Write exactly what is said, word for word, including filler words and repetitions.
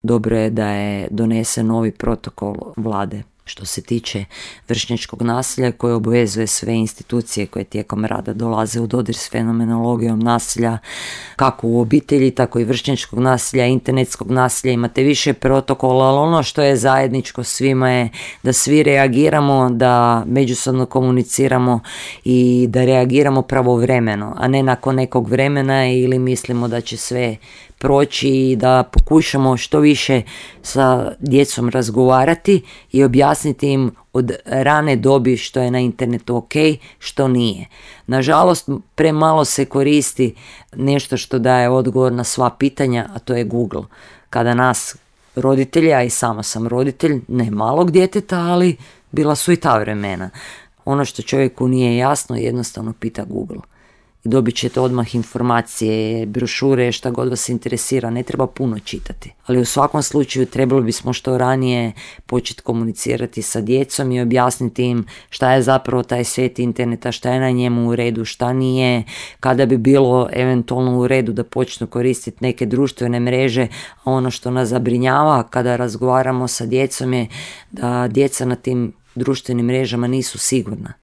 Dobro je da je donesen novi protokol vlade što se tiče vršnjačkog nasilja koje obvezuje sve institucije koje tijekom rada dolaze u dodir s fenomenologijom nasilja, kako u obitelji, tako i vršnjačkog nasilja, internetskog nasilja. Imate više protokola, ali ono što je zajedničko svima je da svi reagiramo, da međusobno komuniciramo i da reagiramo pravovremeno, a ne nakon nekog vremena ili mislimo da će sve proći i da pokušamo što više sa djecom razgovarati i objasniti im od rane dobi što je na internetu ok, što nije. Nažalost, premalo se koristi nešto što daje odgovor na sva pitanja, a to je Google. Kada nas roditelji, a i sama sam roditelj, ne malog djeteta, ali bila su i ta vremena. Ono što čovjeku nije jasno, jednostavno pita Google. I dobit ćete odmah informacije, brošure, šta god vas interesira, ne treba puno čitati. Ali u svakom slučaju trebalo bismo što ranije početi komunicirati sa djecom i objasniti im šta je zapravo taj svijet interneta, šta je na njemu u redu, šta nije, kada bi bilo eventualno u redu da počnu koristiti neke društvene mreže, a ono što nas zabrinjava kada razgovaramo sa djecom je da djeca na tim društvenim mrežama nisu sigurna.